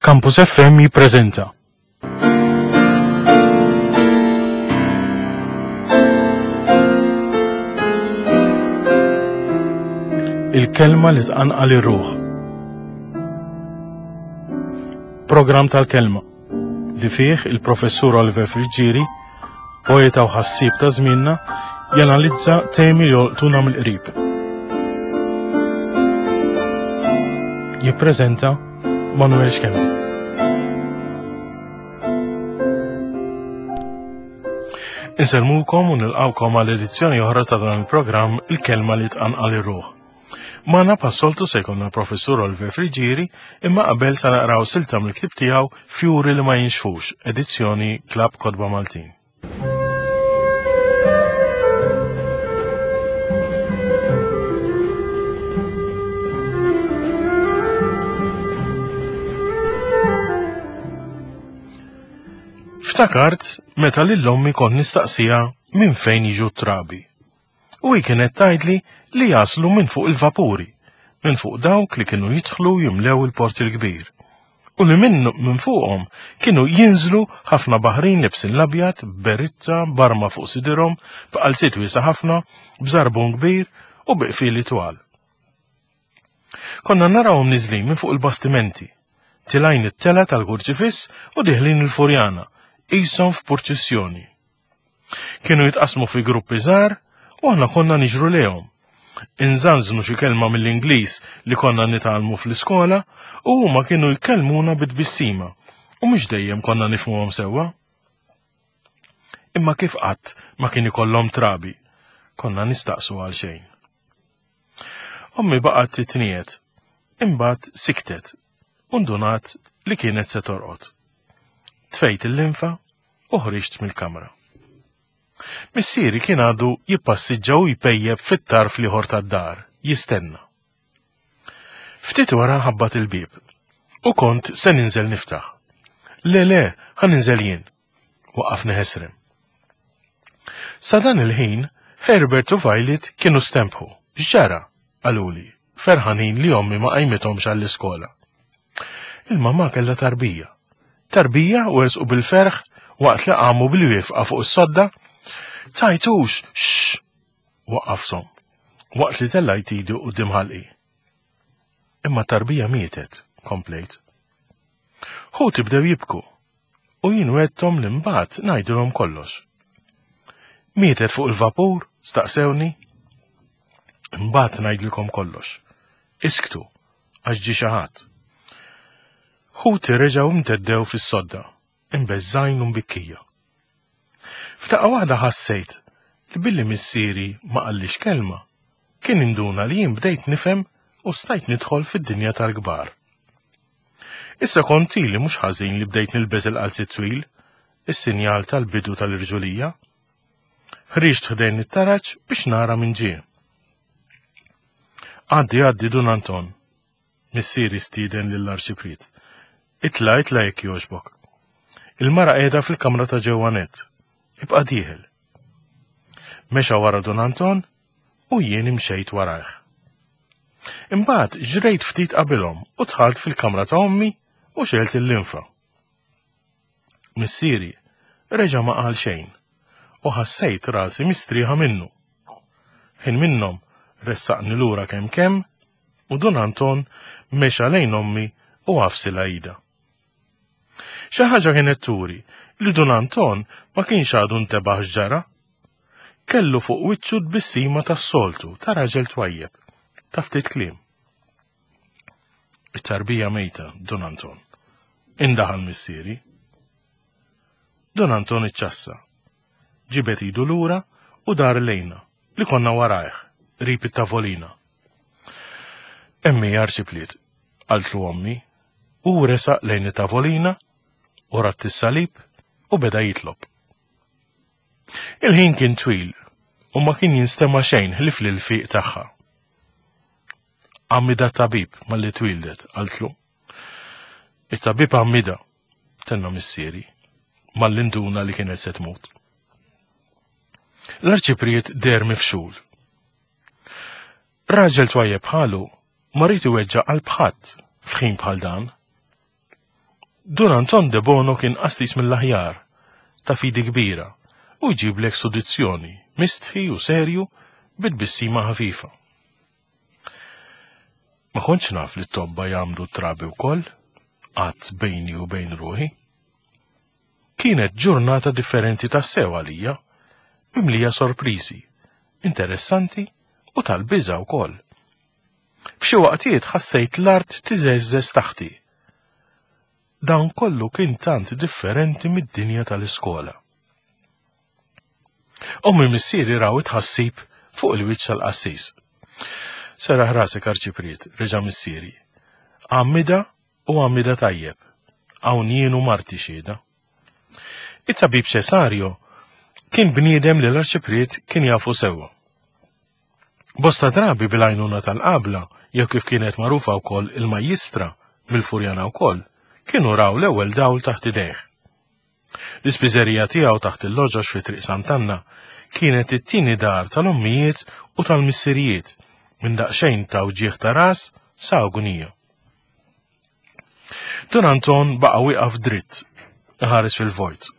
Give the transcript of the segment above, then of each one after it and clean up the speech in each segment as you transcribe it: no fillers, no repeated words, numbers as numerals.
Campus FM jippreżenta. Il-kelma li tqanqal ir-ruħ. Programm tal-kelma li fih il-professur Oliver Friggieri, poeta u ħassieb ta' żmienna, janalizza temi li jolqtuna mill-qrib. Jippreżenta Manuel Schembri. Insellmukom u nilqawkom għal edizzjoni oħra ta' dan il-programm Il-Kelma li tqanqal ir-ruħ. Magħna passoltu se jkollna professur Oliver Friġieri, imma qabel se naqraw silta mill-ktieb tiegħu Fjuri li ma jinxfux, edizzjoni Klabb Kotba Maltin. Ftakart meta lil ommi kont nistaqsiha minn fejn jiġu t-trabi. U hi kienet tgħidli li jaslu minn fuq il-vapuri, minn fuq dawk li kienu jidħlu jimlew il-Port il-Kbir. U li minn minn fuqhom kienu jinżlu ħafna baħrin libsin l-abjad, b'beritta, b'arma fuq sidirhom, b'qalziet wiesa' ħafna, b'żarbun kbir u bi qfieli twal. Konna narawhom niżlin minn fuq il-bastimenti, tilgħin it-tela tal-Kurċifiss u diħlin il-Furjana, qishom f'purċissjoni. Kienu jitqasmu fi gruppi żgħar u aħna konna niġru lejhom. Inżanżnu xi kelma mill-Ingliż li konna nitgħallmu fl-iskola u huma kienu jkellmuna bi tbissima u mhux dejjem konna nifhmuhom sewwa. Imma kif qatt ma kien ikollhom trabi, konna nistaqsu għal xejn. Ommi baqgħet titniet, imbagħad siktet u ndunat li kienet se torqod. Tfejt il-linfa u ħriġt mill-kamra. Missieri kien għadu jippassiġġa u jpejjeb fit-tarf l-ieħor tad-dar, jistenna. Ftit wara ħabbat il-bieb u kont se ninżel niftaħ. Le, le, ħa ninżel jien. Waqafni ħesrem. Sa dan il-ħin, Herbert u Violet kienu stempħu. X'ġara? qaluli, ferħanin li ommi ma qajmithomx għall-iskola. Il-mamà kellha tarbija. Tarbija u ersqu bil-ferħ waqt li qamu bil-wifqa fuq is-sodda. Tajtux, xx! Waqqafthom, waqt li tellajt idi quddiem ħalqi. Imma tarbija mietet, komplejt. Ħuti bdew jibku, u jien wegħdthom li mbagħad ngħidilhom kollox. Mietet fuq il-vapur? staqsewni. Imbagħad ngħidilkom kollox. Isktu, għax ġie xi ħadd. Ħuti reġgħu mteddew fis-sodda, imbeżżgħin u mbikkija. F'daqqa waħda ħassejt li billi missieri ma qallix kelma, kien induna li jien bdejt nifhem u stajt nidħol fid-dinja tal-kbar. Issa kont ili mhux ħażin li bdejt nilbes il-qalziet twil, is-sinjal tal-bidu tal-irġulija. Ħriġt ħdejn it-taraġ biex nara min ġie. Għaddi għaddi Dun Anton, missieri stieden lill-arċipriet. Itla' itla' jekk jogħġbok. Il-mara qiegħda fil-kamra ta' ġewwa nett. Ibqa' dieħel. Mexa wara Dun Anton u jien imxejt warajh. Imbagħad ġrejt ftit qabilhom u dħalt fil-kamra ta' ommi u xegħelt il-linfa. Missieri reġa' ma qal xejn u ħassejt rasi mistrieħa minnu. Ħin minnhom ressaqni lura kemm kemm u Dun Anton mexa lejn ommi u għafsilha idha. Xi ħaġa kienet turi li Dun Anton ma kienx għadu ntebaħ x'ġara. Kellu fuq wiċċu tbissima tas-soltu ta' raġel twajjeb, ta' ftit kliem. It-tarbija mejta, Dun Anton. Indaħal missieri. Dun Anton iċċassa. Ġibed idu lura u dar lejna, li konna warajh, qrib it-tavolina. Emmi arċipliet, qaltlu ommi, u resaq lejn it-tavolina u ratt is-salib u beda jitlob. Il-ħin kien twil u ma kien jinstema' xejn ħlief l-ilfiq tagħha. Għammida tabib malli twildet, qaltlu. It-tabib għammida, tenna missieri, malli nduna li kienet se tmut. L-arċipriet deher mifxul. Raġel twajjeb bħalu ma rrid iweġġa' qalb ħadd f'ħin bħal dan. Dun Anton de Bono kien qassis mill-aħjar, ta' fidi kbira, u jġiblek sudizzjoni, mistħi u serju, bi tbissima ħafifa. Ma kontx naf li t-tobba jagħmlu trabi wkoll, għadt bejni u bejn ruħi. Kienet ġurnata differenti tassew għalija, mimlija sorpriżi, interessanti u tal-biża' wkoll. F'xi waqtiet ħassejt l-art tiżeżżeż taħti. Dan kollu kien tant differenti mid-dinja tal-iskola. Ommi missieri raw it-tħassib fuq il-wiċċ tal-qassis. Seraħ rasek arċipriet, reġa' missieri. Għammida u għammida tajjeb. Hawn jien u marti xhieda. It-tabib Cesario kien bniedem li l-arċipriet kien jafu sewwa. Bosta drabi bil-għajnuna tal-qabla, jew kif kienet magħrufa wkoll il-majjistra, mill-Furjana wkoll, kienu raw l-ewwel dawl taħt idejh. L-ispiżerija tiegħu taħt il-loġox fi Triq Sant'Anna kienet it-tieni dar tal-ommijiet u tal-missirijiet minn daqsxejn ta' wġigħ ta' ras sa agunija. Dun Anton baqa' wieqaf dritt, iħares fil-vojt.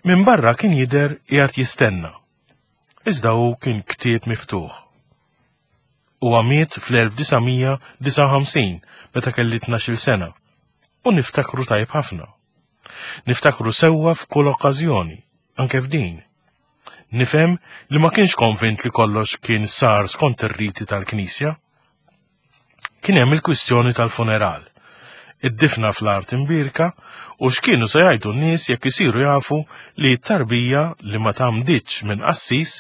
Minn barra kien jidher qiegħed jistenna Iżda hu kien ktieb miftuħ. Huwa miet fl-1959 meta kelli 12-il sena u niftakru tajjeb ħafna. Niftakru sewwa f'kull okkażjoni, anke f'din. Nifhem li ma kienx konvint li kollox kien sar skont ir-riti tal-Knisja. Kien hemm il-kwistjoni tal-funeral. Id-difna fl-art imbierka u x'kienu se jgħidu n-nies jekk isiru jafu li t-tarbija li ma tgħammditx minn qassis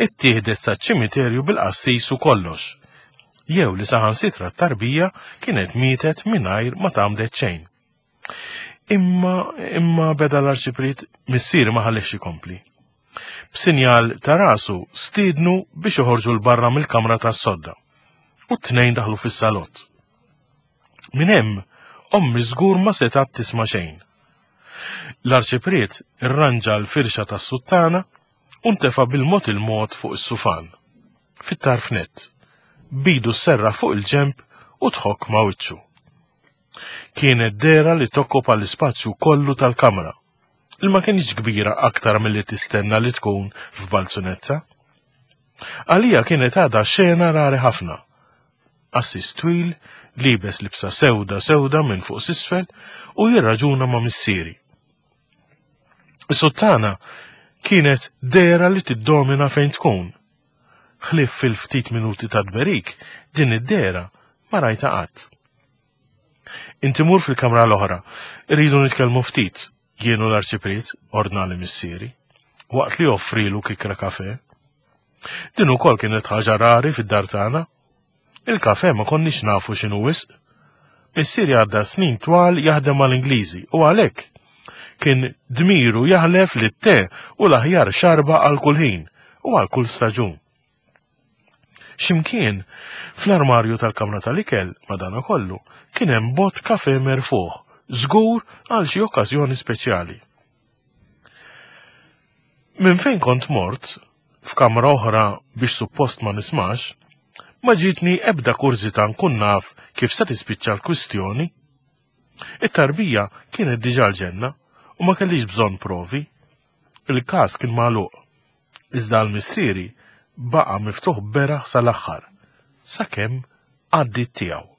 ittieħdet saċ-ċimiterju bil-qassis u kollox. Jew li saħansitra t-tarbija kienet mietet mingħajr ma tgħammdet xejn. Imma, imma beda l-arċipriet missieri ma ħallihx ikompli. B'sinjal ta' rasu stiednu biex joħorġu 'l barra mill-kamra tas-sodda. U t-tnejn daħlu fis-salott. Minn hemm, ommi żgur ma setgħet tisma' xejn. L-arċipriet irranġa l-firxa tas-suttana u ntefa' bil-mod il-mod fuq is-sufan, fit-tarf nett, b'idu sserraħ fuq il-ġenb u tħokk ma' wiċċu. Kienet dehra li tokkopa l-ispazju kollu tal-kamra, li ma kinitx kbira aktar milli tistenna li tkun f'balzunetta. Għalija kienet għadha xena rari ħafna. Qassis twil, liebes libsa sewda sewda minn fuq s'isfel u jirraġuna ma' missieri. Is-suttana kienet dehra li tiddomina fejn tkun. Ħlief fil-ftit minuti ta' tberik, din id-dehra ma rajtha qatt. Inti mur fil-kamra l-oħra, irridu nitkellmu ftit, jien u l-arċipriet, ordnali missieri, waqt li offrilu kikra kafe. Din ukoll kienet ħaġa rari fid-dar tagħna. Il-kafe ma konniex nafu x'inhu wisq. Missieri għadda snin twal jaħdem mal-Ingliżi u għalhekk kien dmiru jaħlef li t-te u l-aħjar xarba għal kull ħin u għal kull staġun. X'imkien, fl-armarju tal-kamra tal-ikel, madankollu, kien hemm bott kafè merfugħ, żgur għal xi okkażjoni speċjali. Minn fejn kont mort, f'kamra oħra biex suppost ma nismax, ma ġietni ebda kurżità nkun naf kif se tispiċċa l-kwistjoni. It-tarbija kienet diġà l-ġenna u ma kellix bżonn provi. Il-każ kien magħluq. Iżda għal missieri baqa' miftuħ beraħ sal-aħħar, sakemm għaddiet tiegħu.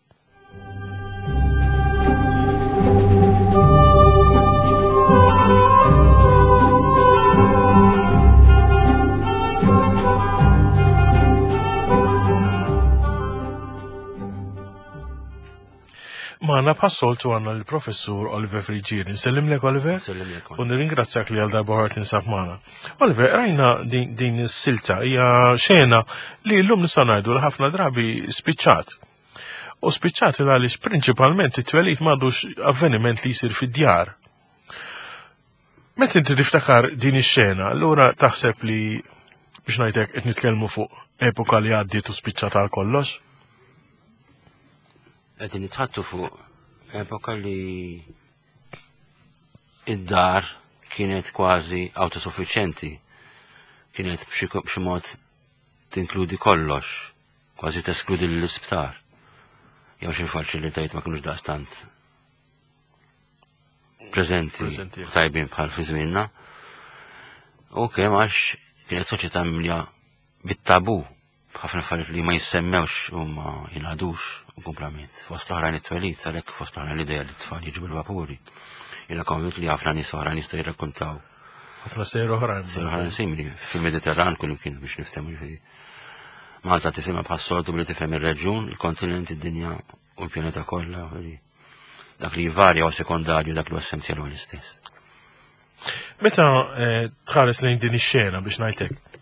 Magħna bħas-soltu għandna l-Professur Oliver Friggieri. Nsellimlek Oliver. Nsellimlek. U nirringrazzjak li għal darba oħra tinsab magħna. Oliver, rajna din, din is-silta hija xena li llum nistgħu ngħidu li ħafna drabi spiċċat. U spiċċat il għaliex prinċipalment it-twelid m'għadux avveniment li jsir fid-djar. Meta inti tiftakar din ix-xena, allura taħseb li biex ngħidlek qed nitkellmu fuq epoka li għaddiet u spiċċat għal kollox? Qegħdin nitħattu fuq epoka li id-dar kienet kważi autosuffiċjenti. Kienet b'xi mod tinkludi kollox, kważi teskludi l-isptar. Jew xi faċilitajiet ma kinux daqstant. preżenti tajbin bħal fi żmienna. U kemm għax kienet soċjetà mimlija bit-tabu b'ħafna affarijiet li ma jissemmewx u ma jingħadux u kumplament. Fost l-oħrajn it-twelid, għalhekk fost l-oħrajn l-idea li t-tfal jiġu bil-vapuri. Jiena konvint li ħafna nies oħrajn jistgħu jirrakkontaw. Ħafna sejr oħrajn. Sejr oħrajn simili fil-Mediterran kull imkien biex niftehmu ġifieri. Malta tifhimha bħas-soltu billi tifhem ir-reġjun, il-kontinent, id-dinja u l-pjaneta kollha. Dak li jvarja u sekondarju dak li essenzjali huwa l-istess. Meta eh, tħares lejn din ix-xena biex ngħidlek,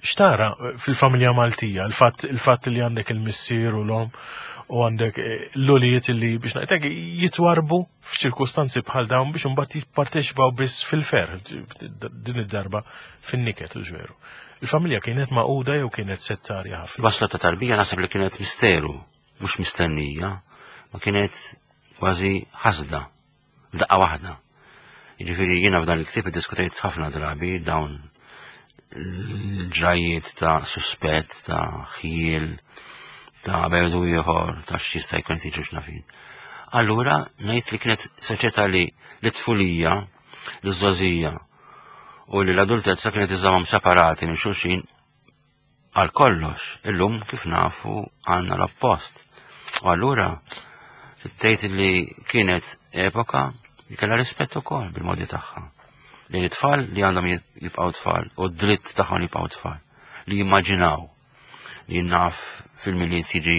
xtara eh, fil-familja Maltija, il-fatt li għandek il-missier u l-om u għandek eh, l-ulijiet li biex ngħidlek jitwarbu f'ċirkustanzi bħal dawn biex imbagħad jipparteċipaw biss fil-fer din id-darba fin-niket u ġveru. Il-familja kienet maquda jew kienet settarja ħafna? Wasla ta' tarbija naħseb li kienet misteru, mhux mistennija, ma kienet kważi ħasda, daqqa waħda. Jiġifieri jiena f'dan il-ktieb iddiskutejt ħafna drabi dawn l-ġrajiet ta' suspett, ta' ħjiel, ta' berdu ieħor, ta' x'jista' jkun qed jiġu x'nafin. Allura ngħid li kienet soċjetà li l-tfulija, l-żgħożija u li l-adultezza kienet iżżamhom separati minn xulxin għal kollox. Illum kif nafu għandna l-oppost. U allura tgħid li kienet epoka li kellha rispett ukoll bil-modi tagħha. Li t-tfal li għandhom jibqgħu tfal u d-dritt tagħhom jibqgħu tfal li jimmaġinaw li naf fil-miliet jiġi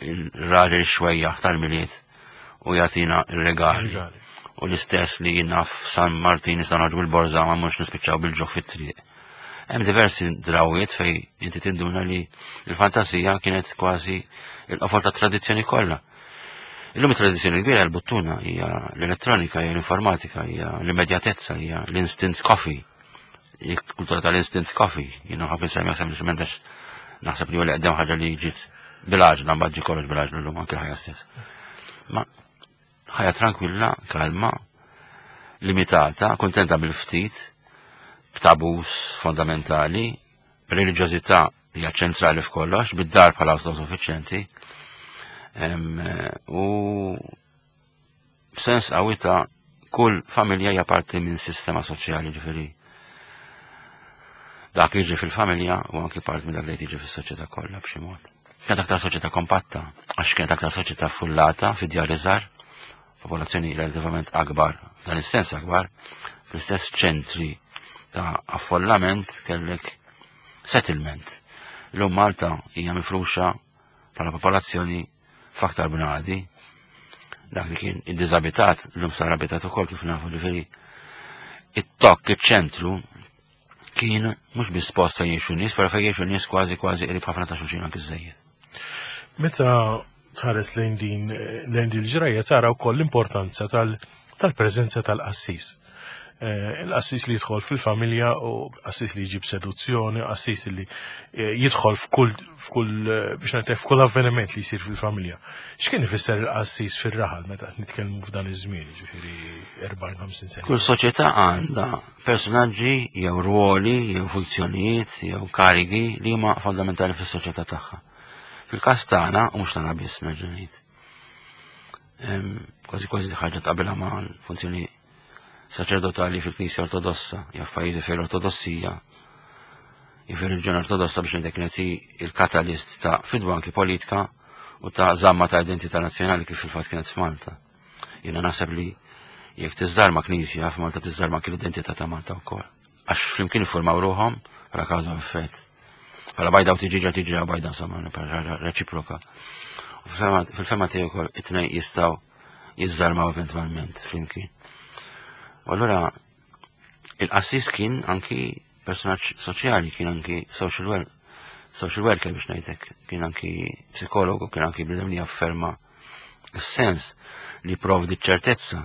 il-raġel xwejjaħ tal-Milied u jagħtina r-regali. U l-istess li jiena f'San Martin nista' noħorġu bil-borża ma mhux nispiċċaw bil-ġuħ fit-triq. Hemm diversi drawiet fej inti tinduna li l-fantasija kienet kważi il-qofol ta' tradizzjoni kollha. Illum it-tradizzjoni kbira l-buttuna hija l-elettronika, hija l-informatika, hija l-immedjatezza, hija l-instant coffee. Il-kultura tal-instant coffee, jiena ħafna semmi sempliċement għax naħseb li hu l-eqdem ħaġa li ġiet bil-għaġla, mbagħad ġi kollox bil-għaġla llum anke l-ħajja stess. Ma ħajja tranquilla, kalma, limitata, kontenta bil-ftit, b'tabus fondamentali, b'reliġjożità li hija ċentrali f'kollox, bid-dar bħala autosuffiċjenti, u b'sens qawwi ta' kull familja hija parti minn sistema soċjali ġifieri. Dak li jiġri fil-familja u anki parti minn dak li jiġri fis-soċjetà kollha b'xi mod. Kienet aktar soċjetà kompatta, għax kienet aktar soċjetà fullata fi djar iżgħar, popolazzjoni relativament akbar, dan is-sens akbar, fl-istess ċentri ta' affollament kellek settlement. Illum Malta hija mifruxa bħala popolazzjoni f'aktar bnadi, dak li kien id-diżabitat, l-lum sar abitat ukoll kif nafu ġifieri. It-tokk, iċ-ċentru, kien mhux biss post fejn jgħixu nies, però fejn jgħixu nies kważi kważi qrib ħafna ta' xulxin anki żejjed. Meta tħares lejn din lejn din il-ġrajja tara wkoll l-importanza tal-preżenza tal-qassis. Eh, il-qassis li jidħol fil-familja u qassis li jġib seduzzjoni, qassis li eh, jidħol f'kull f'kull eh, biex ngħidlek f'kull avveniment li jsir fil-familja. X'kien ifisser il-qassis fir-raħal meta qed nitkellmu f'dan iż-żmien, ġifieri 40-50 sena. Kull soċjetà għandha personaġġi jew ruoli jew funzjonijiet jew karigi li huma fondamentali fis-soċjetà tagħha. Fil-każ tagħna, u mhux tagħna biss nerġa' ngħid. Kważi kważi ħaġa tqabilha ma' funzjoni saċerdotali fil-Knisja Ortodossa, jew f'pajjiżi fejn l-Ortodossija, jew fir-reliġjoni Ortodossa biex ngħidlek kienet il-katalist ta' fidwa anki politika u ta' żamma ta' identità nazzjonali kif fil-fatt kienet f'Malta. Jiena naħseb li jekk tiżżarma Knisja f'Malta tiżżarma anki l-identità ta' Malta wkoll. Għax flimkien iffurmaw ruħhom bħala kawża u effett. Bħala bajda u tiġiġa tiġi bajda insomma bħala reċiproka. U fil-fema tiegħi wkoll it-tnejn jistgħu jiżżarmaw eventwalment flimkien. U allura il-qassis kien anki personaġġ soċjali, kien anki social worker, social worker biex ngħidlek, kien anki psikologu, kien anki bniedem li jafferma s-sens li provdi ċertezza,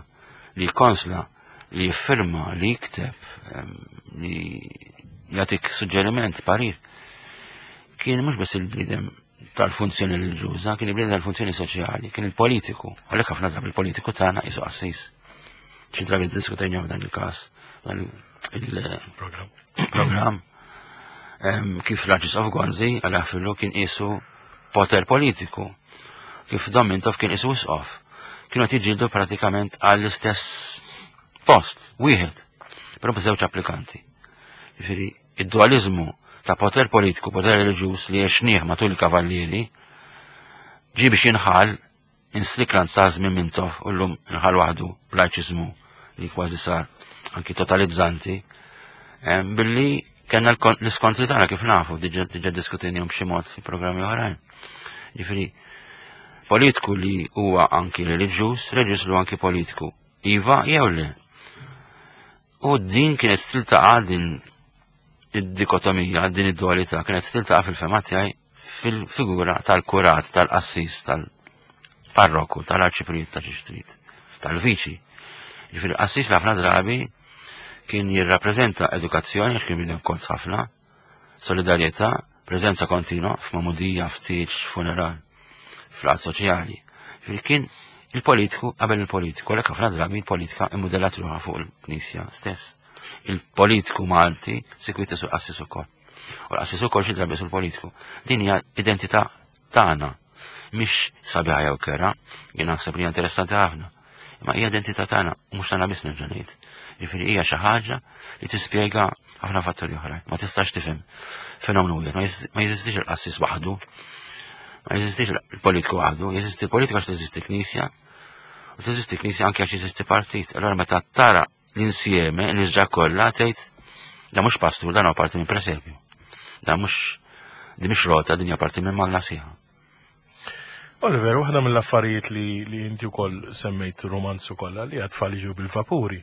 li konsla, li jiffirma, li jikteb, li jagħtik suġġeriment, parir. Kien mhux biss il-bniedem tal-funzjoni reliġjuża, kien il-bniedem tal-funzjoni soċjali, kien il-politiku. Għalhekk ħafna drabi il-politiku tagħna qisu qassis. Xi drabi diskutejna f'dan il-każ, dan il-programm. Kif l-Arċisqof Gonzi għal fillu kien qisu poter politiku. Kif Dom Mintoff kien qisu isqof. Kienu qed jiġġieldu pratikament għall-istess post, wieħed, però b'żewġ applikanti. Jiġifieri id-dualizmu ta' poter politiku, poter reliġjuż li għexnieh matul il-kavallieri, ġie biex jinħall inslikland sa' żmien Mintoff u llum inħall waħdu b'lajċiżmu li kważi sar anki totalizzanti, billi kellna l-iskontri tagħna kif nafu, diġà diskutinihom b'xi mod fi programmi oħrajn. Jiġifieri politiku li huwa anki reliġjuż, reliġjuż li huwa anki politiku. Iva jew le. U din kienet tiltaqa' din id-dikotomija, din id-dualità kienet tiltaqa' fil-fema tiegħi fil-figura tal-kurat, tal-qassis, tal-parroku, tal-arċipriet ta' xi tal-viċi. Ġifieri qassis ħafna drabi kien jirrappreżenta edukazzjoni, għax kien bidem kont ħafna, solidarjetà, preżenza kontinwa f'magħmudija, f'tieġ, funeral, fl-għad soċjali. Ġifieri kien il-politiku qabel il-politiku, għalhekk ħafna drabi il-politika immudellat ruħha fuq il-Knisja stess. Il-politiku Malti sikwit isu qassis ukoll. U l-qassis ukoll xi drabi sul politiku. Din hija identità tagħna. Mhix sabiħa jew kera, jien naħseb li hija interessanti ħafna. Imma hija identità tagħna u mhux tagħna biss nerġa' ngħid. Jiġifieri hija xi ħaġa li tispjega ħafna fatturi oħra. Ma tistax tifhem fenomenu wieħed, ma jeżistix il-qassis waħdu, ma jeżistix il-politiku waħdu, jeżisti il-politiku għax teżisti knisja, u teżisti knisja anke għax jeżisti partit. Allora meta tara l-insieme, l-isġa kollha tgħid da mhux pastur, dan huwa parti minn presepju. Da mhux di mhix rota, din hija parti minn magna sieħa. Oliver, waħda mill-affarijiet li, li inti wkoll semmejt romanzu kollha li għat-tfal jiġu bil-vapuri.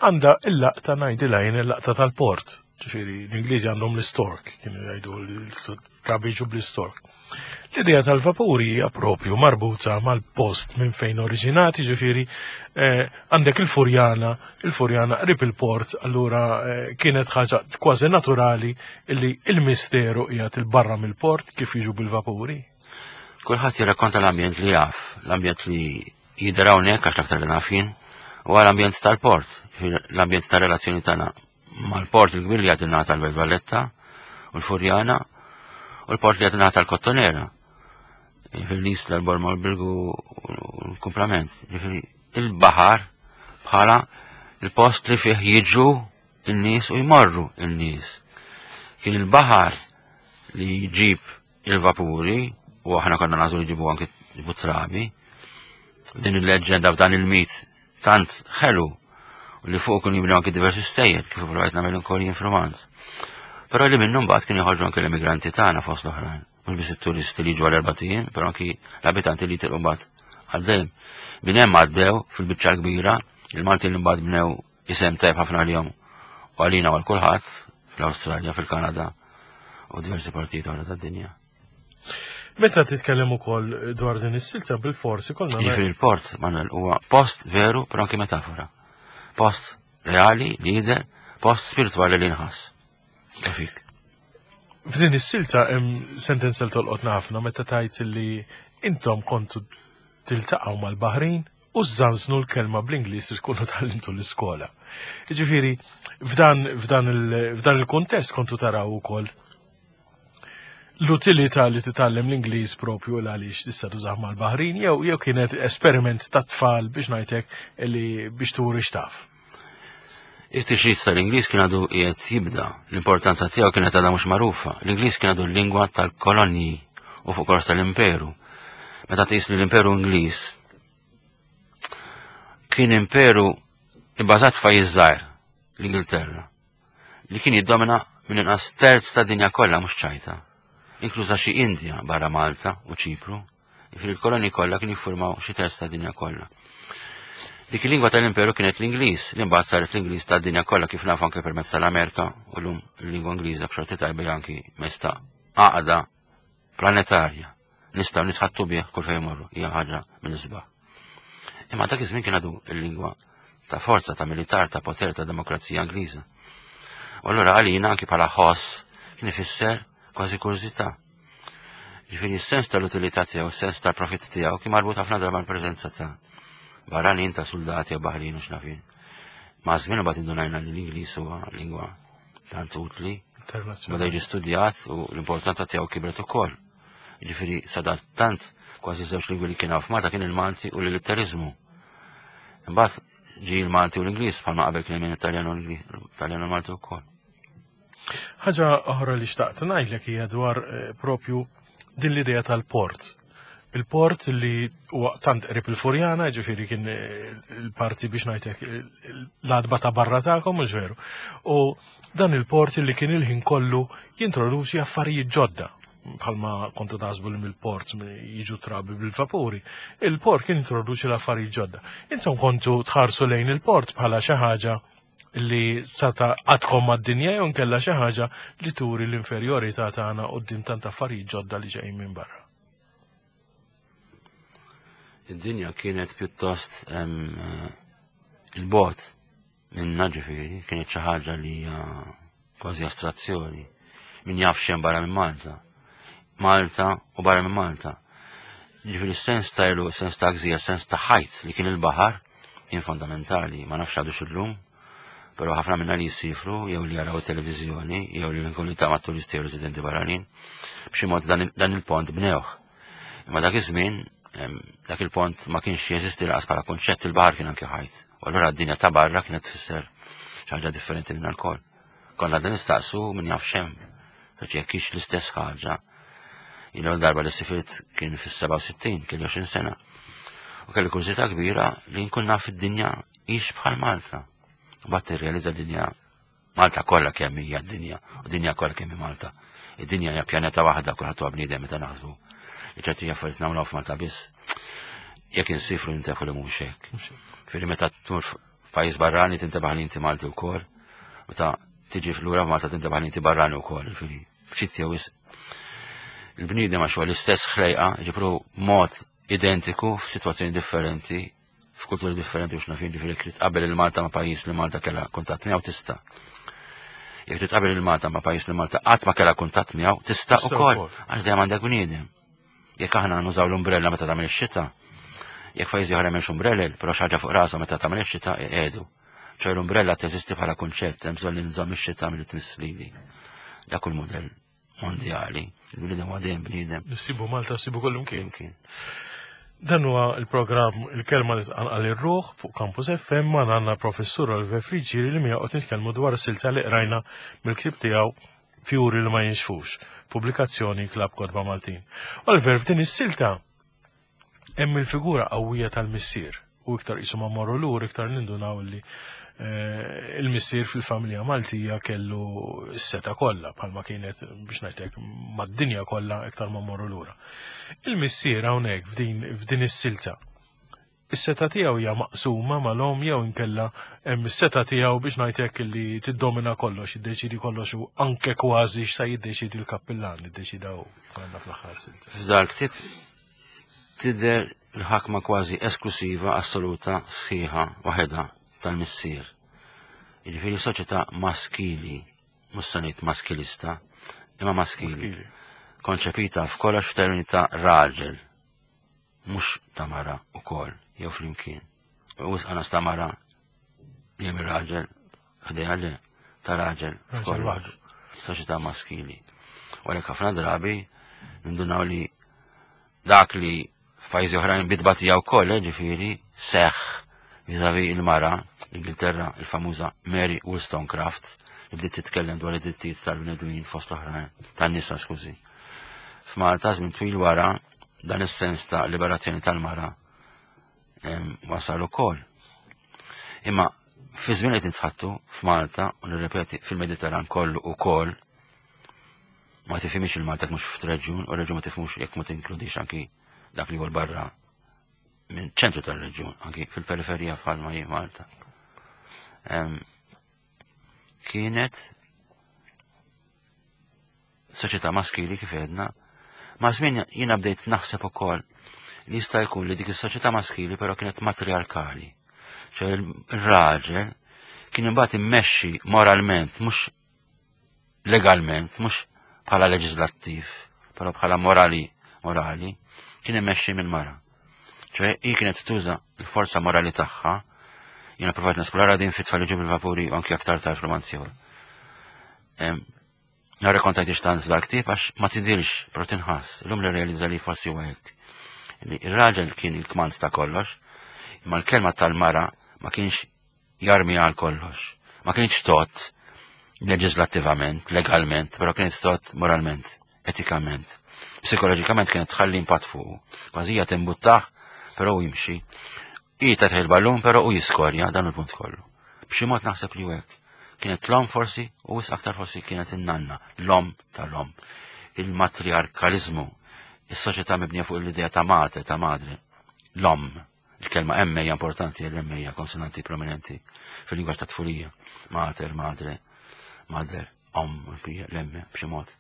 Għandha il-laqta ngħidilha jien il-laqta tal-port. Ġifieri l-Ingliżi għandhom l-istork, kienu jgħidu l-trabi jiġu bl-istork. L-idea tal-vapuri hija propju marbuta mal-post minn fejn oriġinati, ġifieri eh, għandek il-Furjana, il-Furjana qrib il-port, allura eh, kienet ħaġa kważi naturali li il-misteru qiegħed il-barra mill-port kif jiġu bil-vapuri. Kulħadd jirrakkonta l-ambjent li jaf, l-ambjent li jidher hawnhekk għax l-aktar li naf jien, huwa l-ambjent tal-port, l-ambjent tar-relazzjoni tagħna mal-port il-kbir li għad ingħata l-Belt Valletta u l-Furjana u l-port li għad ingħata l-Kottonera. Fil-Isla, l-Borma, l-Birgu u l-kumplament. Il-baħar bħala il-post li fih jiġu n-nies u jmorru n-nies. Kien il-baħar li jġib il-vapuri u aħna konna nażu li ġibu anki ġibu trabi. Din il-leġġenda f'dan il-mit tant ħelu u li fuq kienu jibnu anki diversi stejjer kif provajt nagħmel ukoll jien f'romanz. Però li minnu mbagħad kienu joħorġu anki l-immigranti tagħna fost l-oħrajn. Mhux biss it-turisti li jiġu għal erba' ijiem, però anki l-abitanti li jitilqu mbagħad għal dejjem. Minn hemm għaddew fil-biċċa l-kbira, il-Maltin li mbagħad bnew isem tajb ħafna għalihom u għalina u għal kulħadd fl-Awstralja, fil-Kanada u diversi partijiet oħra tad-dinja. Meta titkellem ukoll dwar din is-silta bil-forsi kollna. Jiġifieri il-port, Manuel, huwa post veru però anke metafora. Post reali li jidher, post spiritwali li nħass. Tafik. F'din is-silta hemm sentenza li tolqotna ħafna meta tajt li intom kontu tiltaqgħu mal-Baħrin u żżanżnu l-kelma bl-Ingliż li tkunu tgħallimtu l-iskola. Jiġifieri f'dan f'dan il-kuntest kontu taraw ukoll l-utilità li titgħallem l-Ingliż propju l għaliex tista' tużah mal-Baħrin jew jew kienet esperiment ta' tfal biex ngħidlek li biex turi x'taf. Il-tixrid tal-Ingliż kien għadu qiegħed jibda, l-importanza tiegħu kienet għadha mhux magħrufa. L-Ingliż kien għadu l-lingwa tal-kolonji u fuq kollox tal-imperu. Meta tqis li l-imperu Ingliż kien imperu ibbażat f'pajjiż żgħir, l-Ingilterra, li kien jiddomina minn inqas terz ta' dinja kollha mhux ċajta, inkluża xi Indja barra Malta u Ċipru. Jiġifieri l-kolonji kollha kienu jiffurmaw xi terz tad-dinja kollha. Dik il-lingwa tal-imperu kienet l-Ingliż, li mbagħad saret l-Ingliż tad-dinja kollha kif nafu anke permezz tal-Amerika u llum il-lingwa Ingliża b'xorti tajba hija anki mezz ta' għaqda planetarja. Nistgħu nitħattu bih kull fejn morru, hija ħaġa mill-isbaħ. Imma dak iż-żmien kien għadu l-lingwa ta' forza, ta' militar, ta' poter, ta' demokrazija Ingliża. U allura għalina anki bħala ħoss kien ifisser kważi kurżità. Ġifieri s-sens tal-utilità tiegħu, s-sens tal-profitt tiegħu kien marbut ħafna darba mal-preżenza ta' barranin ta' soldati u baħrin u xnafin. Ma' żmien imbagħad indunajna li l-Ingliż huwa lingwa tant utli, bada jiġi studjat u l-importanza tiegħu kibret ukoll. Ġifieri sadattant Kważi żewġ lingwi li kien hawn f'Malta kien il-Malti u l-Litteriżmu. Imbagħad ġie l-Malti u l-Ingliż bħalma qabel kien hemm Italjan u l-Italjan u l-Malti wkoll. Ħaġa oħra li xtaqt ngħidlek hija dwar eh, propju din l-idea tal-port. Il-port li huwa tant qrib il-Furjana, ġifieri kien eh, il-parti biex ngħidlek eh, l-adba ta' barra tagħkom, mhux veru. U dan il-port li kien il-ħin kollu jintroduċi affarijiet ġodda bħalma kontu taħsbu li mill-port jiġu trabi bil-vapuri, il-port kien introduċi l-affarijiet ġodda. Intom kontu tħarsu lejn il-port bħala xi ħaġa li sata għadkom mad-dinja jew nkella xi ħaġa li turi l-inferjorità tagħna quddiem tant affarijiet ġodda li ġejjin minn barra. Id-dinja kienet pjuttost eh, il-bot minna ġifieri, kienet xi ħaġa li hija kważi astrazzjoni. Min jaf xem barra minn Malta. Malta u barra minn Malta. Ġifieri sens ta' ilu, sens ta' gżija, sens ta' ħajt li kien il-baħar kien fondamentali, ma nafx għadu xillum, però ħafna minna li jisifru jew li jaraw televizjoni jew li nkunu ta' ma' turisti jew residenti barranin, b'xi mod dan il-pont bnewh. Imma dak iż-żmien dak il-pont ma kienx jeżisti laqas bħala kunċett il-baħar kien anke ħajt. U allura d-dinja ta' barra kienet tfisser xi ħaġa differenti minn alkohol. Konna għadna nistaqsu min jaf xem, għax jekk hix l-istess ħaġa. Jien darba li sifirt kien fis-67, kelli 20 sena. U kelli kurżità kbira li nkun naf id-dinja hix bħal Malta. Bat tirrealizza dinja Malta kollha kemm hija d-dinja u dinja kollha kemm hi Malta. Id-dinja hija pjaneta waħda kulħadd huwa bniedem meta naħsbu. Li ċerti affarijiet nagħmluha f'Malta biss. Jekk insifru nintefu li mhux hekk. Firri meta tmur f'pajjiż barrani tintebaħ li inti Malti wkoll. Meta tiġi lura f'Malta tintebaħ li inti barrani wkoll. Firri ftit jew il-bniedem għax huwa l-istess ħlejqa, ġipru mod identiku f'sitwazzjoni differenti f'kulturi differenti u x'naf jien, ġifieri jekk titqabel il-Malta ma' pajjiż li Malta kellha kuntatt miegħu tista'. Jekk titqabel il-Malta ma' pajjiż li Malta qatt ma kellha kuntatt miegħu tista' ukoll għax dejjem għandek bniedem. Jekk aħna nużaw l-umbrella meta tagħmel ix-xita, jekk pajjiżi oħra m'hemmx umbrellel, però xi ħaġa fuq rashom meta tagħmel ix-xita iqiegħdu. ċoj l-umbrella teżisti bħala kunċett, hemm bżonn li nżomm ix-xita milli tmiss lili. Dak hu l-mudell mondjali. Il-bniedem huwa dejjem bniedem. Nissibu Malta, sibu kollu mkien. Dan huwa il-programm Il-Kelma li tqanqal ir-ruħ fuq Campus FM ma għandna professur Oliver Friġġieri li miegħu qed nitkellmu dwar silta li qrajna mill-ktieb tiegħu Fjuri li ma jinxfux, pubblikazzjoni Klabb Kotba Maltin. Oliver, f'din is-silta Hemm il-figura qawwija tal-missier u iktar qisu ma morru lur iktar nindunaw li eh, il-missier fil-familja Maltija kellu s-seta kollha bħalma kienet biex ngħidlek mad-dinja kollha iktar ma morru lura. Il-missier hawnhekk f'din is-silta is-seta tiegħu hija maqsuma mal-om jew inkella hemm is-seta tiegħu biex ngħidlek li tiddomina kollox, jiddeċidi kollox u anke kważi x'sa jiddeċidi l-kappillan, jiddeċida hu għandna fl-aħħar silta. F'dal ktib tidher l-ħakma kważi esklusiva, assoluta, sħiħa, waħedha tal-missier. Jiġifieri soċjetà maskili, mhux se ngħid maskilista, imma maskili. Konċepita f'kollox f'termini ta' raġel, mhux ta' mara wkoll jew flimkien. U wisq ta' mara li hemm raġel ħdejha le ta' raġel f'kollox. Soċjetà maskili. U għalhekk ħafna drabi nindunaw li dak li f'pajjiżi oħrajn bitbatija wkoll, eh, ġifieri, seħħ viżavi il-mara, l-Ingilterra, il-famuża Mary Wollstonecraft, li bdiet titkellem dwar id-drittijiet tal-bnedmin fost l-oħrajn, tan-nisa, skużi. F'Malta żmien twil wara dan is-sens ta' liberazzjoni tal-mara wasal ukoll. Imma fi żmien qed nitħattu f'Malta u nirrepeti fil-Mediterran kollu ukoll ma tifhimx il-Malta mhux f'reġjun u reġjun ma tifhmux jekk ma tinkludix anki dak li huwa barra minn ċentru tal-reġjun, anki fil-periferija bħalma hi Malta. Kienet soċjetà maskili kif għedna, ma' żmien jiena bdejt naħseb ukoll li jista' jkun li dik is-soċjetà maskili però kienet matriarkali. ċe il-raġel kien imbagħad immexxi moralment, mhux legalment, mhux bħala leġislattiv, però bħala morali, morali, kien immexxi minn mara. ċe hi kienet tuża l-forza morali tagħha, jiena provajt nesplora din fit-tfal bil-vapuri u anki aktar tard f'romanzi Narrakontajt tant f'dal-ktieb għax ma tidhirx, però tinħass. Illum li realizza li forsi huwa hekk. Li ir-raġel kien il-kmand ta' kollox, imma l-kelma tal-mara ma kienx jarmi għal kollox. Ma kienx tot leġislattivament, legalment, però kienet tot moralment, etikament. Psikoloġikament kienet tħalli impatt fuqu. Kważi hija timbuttah, però hu jimxi. Hi tagħtih il-ballun, però hu jiskorja dan il-punt kollu. B'xi mod naħseb li hekk. Kienet l-om forsi, u wisq aktar forsi kienet in-nanna, l-om tal-om. Il-matriarkalizmu, is-soċjetà mibnija fuq l-idea ta' mate, ta' madre, l-om. Il-kelma M hija importanti, l-M hija konsonanti prominenti fil-lingwaġġ ta' tfulija. Mater, madre, mother, om, l-M b'xi mod.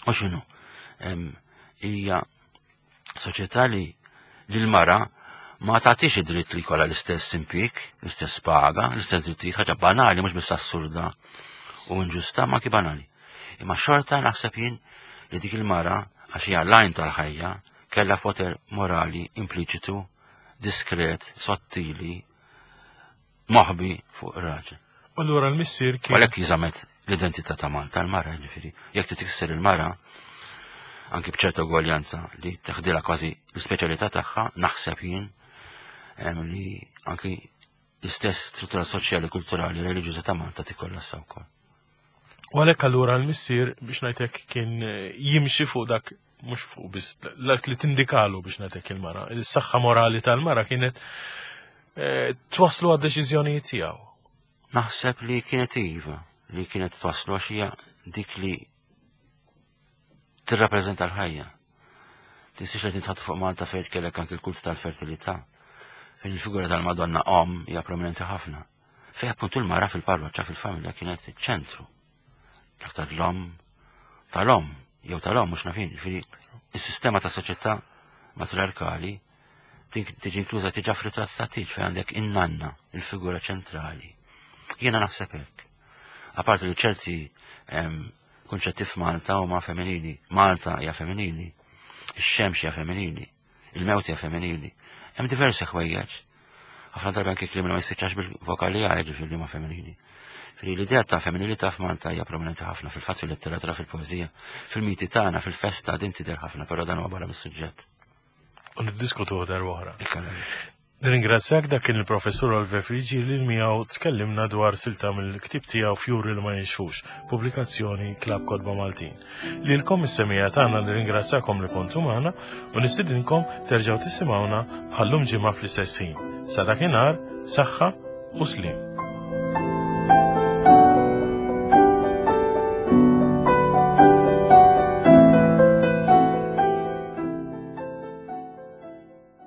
U x'inhu? Hija soċjetà li l-mara ma tagħtix id-dritt li jkollha l-istess impjieg, l-istess paga, l-istess drittijiet, ħaġa banali mhux biss assurda u inġusta, ma ki banali. Imma xorta naħseb jien li dik il-mara għax hija l-għajn tal-ħajja kellha poter morali impliċitu, diskret, sottili, moħbi fuq ir-raġel. U allura l-missier kien. Għalhekk jiżamet l-identità ta' Malta l-mara, ġifieri. Jekk titkisser il-mara, anki b'ċerta ugwaljanza li teħdilha kważi l-ispeċjalità tagħha, naħseb jien li anki l-istess struttura soċjali, kulturali, reliġjuża ta' Malta tikkollassa wkoll. U għalhekk allura l-missier biex ngħidlek kien jimxi fuq dak mhux fuq biss dak li tindikalu biex ngħidlek il-mara. Il-saħħa morali tal-mara kienet eh, twaslu għad-deċiżjonijiet tiegħu. Naħseb li kienet iva, li kienet twaslu għax hija dik li tirrappreżenta l-ħajja. Tinsiex li tintħat fuq Malta fejn kellek anki l-kult tal-fertilità. Fejn il-figura tal-Madonna om hija prominenti ħafna. Fejn appuntu l-mara fil-parroċċa fil-familja kienet iċ-ċentru. L-aktar l-om tal-om, jew tal-om mhux nafin, ġifieri is-sistema ta' soċjetà matriarkali tiġi inkluża tiġa f'ritratt ta' tiġ fejn għandek in-nanna, il-figura ċentrali. Jiena naħseb hekk. Apparti li ċerti kunċetti f'Malta huma femminili, Malta hija femminili, ix-xemx hija femminili, Il-mewt hija femminili. Hemm diversi ħwejjeġ. Ħafna drabi anke kliem li ma jispiċċax bil-vokali A jiġifieri li huma femminili. Fili l-idea ta' femminilità f'Malta hija prominenti ħafna fil-fatt fil-letteratura, fil-poeżija, fil-miti tagħna, fil-festa din tidher ħafna, però dan huwa barra mis-suġġett. U niddiskutuh darba oħra. Nirringrazzjak dak kien il-Professur Oliver Frigi li miegħu tkellimna dwar silta mill-ktieb tiegħu Fjuri li ma jinxfux, pubblikazzjoni Klabb Kotba Maltin. Lilkom is-semija tagħna nirringrazzjakom li kontu magħna u nistidinkom terġgħu tisimgħuna bħallum ġimgħa fl-istess ħin. Sa dakinhar, saħħa u sliem.